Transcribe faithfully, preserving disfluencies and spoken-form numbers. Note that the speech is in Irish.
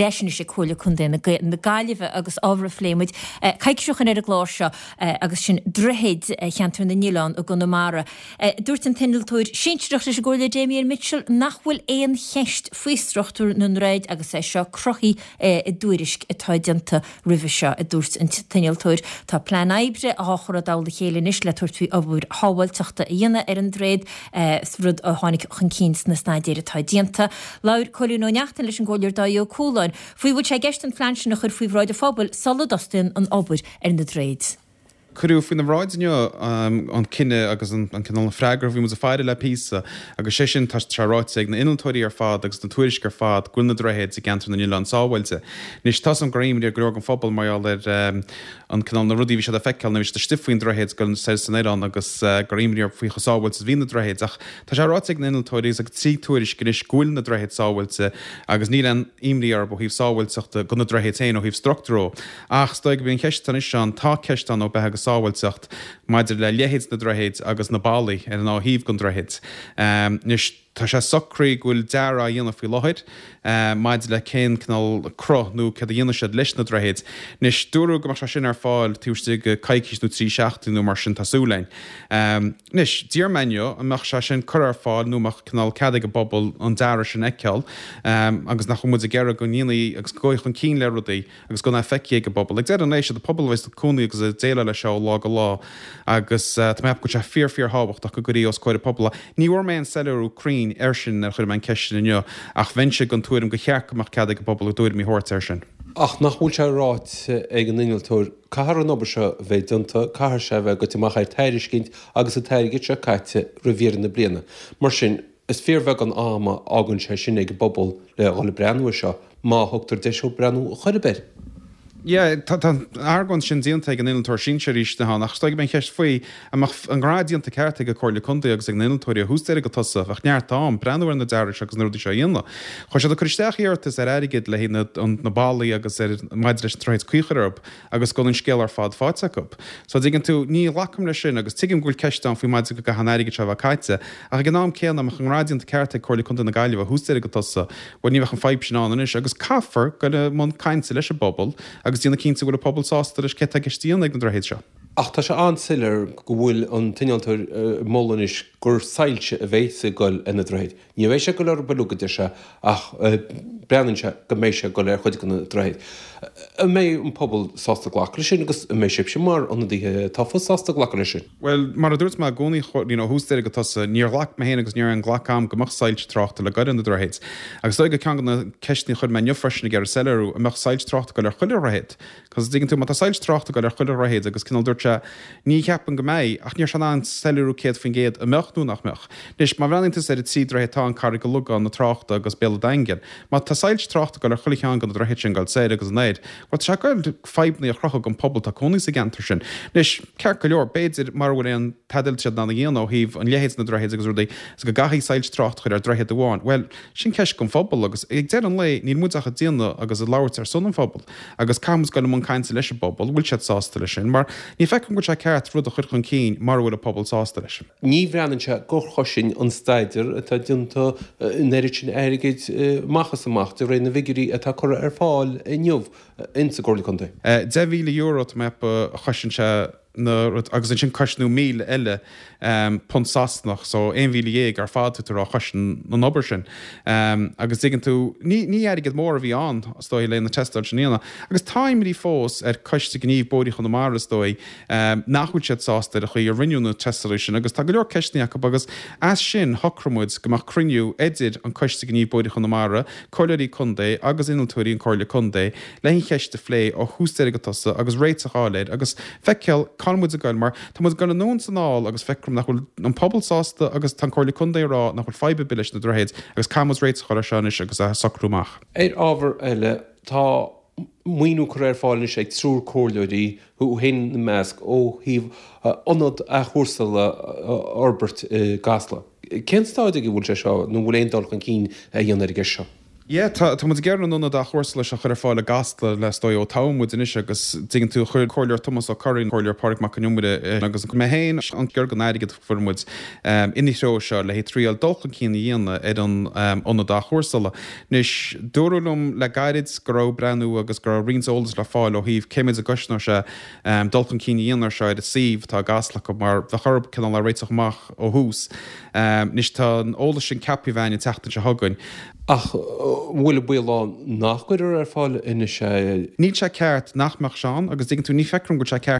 Leis anois ag Comhairle Contae na Gaillimhe agus ábhar a phléigh muid coicís ó shin ar an gclár seo agus sin droichid cheantar na nOileán i gConamara. Dúirt an t-innealtóir sinsearach leis an gComhairle Damien Mitchell nach bhfuil aon cheist faoi struchtúr na ndroichead agus é seo cruthaithe i dtuairisc atá déanta roimhe seo, a dúirt an t-innealtóir. Tá plean oibre á chur i dtoll a chéile anois le tabhairt faoi obair shábháilteachta a dhéanamh ar an droichead, rud a tháinig chun cinn sna staidéir atá déanta. Labhair Cóilín Ó Neachtain leis an gComhairleoir Dáithí Ó Cualáin faoi bhfuil sé i gceist an plean sin a chur faoi bhráid an phobail sula dtosaíonn an obair ar na droichid. Cuireadh faoina bhráid inniu an cinneadh agus an cineál freagra a bhí muid ag faire le píosa agus sé sin tá sé ráite ag na innealtóirí ar fad agus na tuairisc ar fad go bhfuil na droichid i gceantar na n-oileán sábháilte. Anois tá a fhios agam go raibh imní ar go leor den phobal mar gheall ar an cineál na rudaí a bhí siad a feiceáil nuair a bhí siad istigh faoin droichead go soir san oileán agus go raibh imní orthu faoi chomh sábháilte is a bhí na droichid ach tá sé ráite ag na innealtóirí agus ag trí tuairisc anois go bhfuil na droichid sábháilte agus níl aon imní orthu ó thaobh sábháilteachta go na droichid féin ó thaobh struchtúr ó. Ach is dóigh go bhí an cheist anois ann, tá ceist ann ó beatha go sábháilteacht maidir le leithéid na droichid agus na ballaí ar an dá thaobh den droichead. Anois tá sé socraithe go bhfuil dearadh á dhéanamh faoi láthair maidir le cén cineál cruth nó céard a dhéanfaidh siad leis na droichid. Anois dúradh go mbeadh sé sin ar fáil taobh istigh de coicís nó trí seachtaine nó mar sin tá súil againn. Anois d'iarr mé inniu an mbeadh sé sin curtha ar fáil nó an mbeadh cineál cead ag an bpobal an dearadh sin a fheiceáil agus nach bhfuil muid ag iarraidh go ndéanfaí agus go gcuirfí chun cinn le rudaí agus gan é feicthe ag an bpobal. Ag deireadh an lae, is iad an pobal a bheas ag cónaí agus ag déileáil leis seo ó lá go lá agus tá mé ag ceapadh go bhfuil sé fíor fíor thábhachtach go gcuirfí os comhair an pobail é. Ní bhfuair mé aon soiléiriú cruinn air sin nuair a chuir mé an ceist sin inniu ach bheinnse den tuairim gur cheart go mbeadh cead ag an bpobal a dtuairimí a thabhairt air sin. Ach nach bhfuil sé ráite ag an innealtóir, caithfear an obair seo a bheith déanta, caithfidh sé a bheith goite amach ar tairiscint agus an t-airgead seo caite roimh dheireadh na bliana. Mar sin, is fíorbheagán ama a fhágann sé sin ag an bpobal le dhul ag breathnú air seo. Má thugtar deis dóibh breathnú chor ar bith. Yeah, tá an argóint sin déanta ag an innealtóir sinsir arís ann, ach is dóigh go mbeidh an cheist faoi an mbeadh an gnó déanta ceart ag an Comhairle Contae agus ag na innealtóirí ó thús deireadh go tosach, bheadh neart am breathnú ar na dearaí seo agus na rudaí seo a dhéanamh. Chuaigh siad ag cur isteach iarratas ar airgead le haghaidh na na ballaí agus ar maidir leis an droichead caoi a chur orthu agus gan an scéal ar fad faighte acu. So dtuigeann tú, ní ghlacaim leis sin agus tuigim go bhfuil ceist ann faoi maidir go gcaithfidh an airgead seo a bheith caite ach ag an am céanna mbeadh an gnó déanta ceart ag Comhairle Contae na Gaillimhe ó thús deireadh go tosach, bhuel ní bheadh an fadhb sin ann anois agus caithfear dul i mbun cainte leis an bpobal agus déanamh cinnte go bhfuil an pobal sásta leis céard atá i gceist a dhéanamh ag na droichid seo. Ach tá sé an-soiléir go bhfuil an t-innealtóir ag moladh anois gur soilse a bheas ag dul ar na droichid. Ní bheidh sé ag dul orthu uilig, a deir sé, ach breathnaíonn sé go mbeidh sé ag dul ar chuid de na droichid. An mbeidh an pobal sásta glacadh leis sin agus an mbeidh sibhse mar ionadaithe tofa sásta glacadh leis sin? Bhuel, mar a dúirt mé i gcónaí, you know, ó thús deireadh go tosach, níor ghlac mé féin agus ní raibh aon ghlacadh agam go mbeadh soilse tráchta le goil ar na droichid. Agus is dóigh gur ceann de na ceisteanna a chuir mé inniu freisin ag iarraidh soiléiriú, an mbeadh soilse tráchta ag goil ar chuile dhroichead? Cos dtuigeann tú, má tá soilse tráchta ag goil ar chuile dhroichead agus cineál dúirt sé, ní cheapaim go mbeidh, ach ní raibh sé in ann soiléiriú céad faoin gcéad an mbeadh nó nach mbeadh. Anois, má bhreathnaíonn tusa ar an trí droichead atá ann, Carraig an Logáin, na Tráchta agus Béal an Daingin, má tá soilse tráchta ag goil ar chuile cheann de na droichid sin ag goil soir agus anoir, bhuel tá sé ag goil fadhbanna a chruthú don pobal atá ag cónaí sa gceantar sin. Anois, ceart go leor, b'fhéidir mura bhfuil aon tada eile tá siad in ann a dhéanamh ó thaobh an leithéid de na droichid agus rudaí, is go gcaithfidh soilse tráchta a chur ar droichead amháin. Bhuel, sin ceist don phobal agus ag deireadh an lae níl muid ach ag déanamh agus ag labhairt ar son an phobail. Agus caithfidh muid dul i mbun cainte leis an bpobal, bhfuil siad sásta leis sin? Mar ní feicim go bhfuil sé ceart rud a chur chun cinn mura bhfuil an pobal sásta leis. Ní bhreathnaíonn sé gur chosain an staidéar atá déanta an oiread sin airgid amach is amach de réir na bhfigiúirí atá curtha ar fáil inniu insa gComhairle Contae. Deich mhíle euro tá mé ag ceapadh a chosain sé na rud agus ansin cosnú míle eile punt Sasanach so aon mhíle dhéag ar fad tá tú a rá a chosain an obair sin. Agus dtuigeann tú, ní ní airgead mór a bhí ann is dóigh le na tástáil sin a dhéanamh. Agus tá imní fós ar Coiste Gnímh Bóithre Chonamara is dóigh nach bhfuil siad sásta ar an chaoi a rinneadh na tástálacha sin agus tá go leor ceisteanna acu agus as sin shocraigh muid go mbeadh cruinniú idir an Coiste Gnímh Bóithre Chonamara, Comhairleoirí Contae agus innealtóirí an Comhairle Contae le an cheist a phlé ó thús deireadh go tosach agus réiteach a fháil air agus feiceáil cá bhfuil muid ag goil mar tá muid ag goil anonn is anall agus feicim nach bhfuil an pobal sásta agus tá an Comhairle Contae ag rá nach bhfuil fadhb ar bith leis na droichid agus caithfidh muid réiteach a fháil ar seo anois agus a socrú amach. Ar ábhar eile, tá maoiniú curtha ar fáil anois ag triúr comhairleoirí, thú féin ina measc, ó thaobh ionad athchúrsála a fhorbairt i gCasla. Cén stáid ag a bhfuil sé seo nó an bhfuil aon dul chun cinn á dhéanamh ar an gceist seo? Yeah, tá tá muid ag iarraidh an ionad athchúrsála seo a chur ar fáil i gCasla le is dóigh ó toghadh muid anois agus tuigeann tú chuir Comhairleoir Tomás Ó Curraoin, Comhairleoir Pádraig Mac Con Iomaire agus mé féin an cuid den airgead a fuair muid ina threo seo le haghaidh triail dul chun cinn a dhéanamh ar an ionad athchúrsála. Anois, dúradh liom le gairid go raibh breathnú agus go raibh roinnt eolas le fáil ó thaobh cé mhéid a gcosnódh sé dul chun cinn a dhéanamh air seo ar an suíomh atá i gCasla acu mar bheadh orthu cineál é a réiteach amach ó thús. Anois tá an eolas sin ceaptha a bheith againn an tseachtain seo chugainn. Ach an bhfuil baol ann nach gcuirfear ar fáil anois é? Níl sé ceart nach mbeadh sé ann agus tuigeann tú, ní feictear dom go bhfuil sé ceart.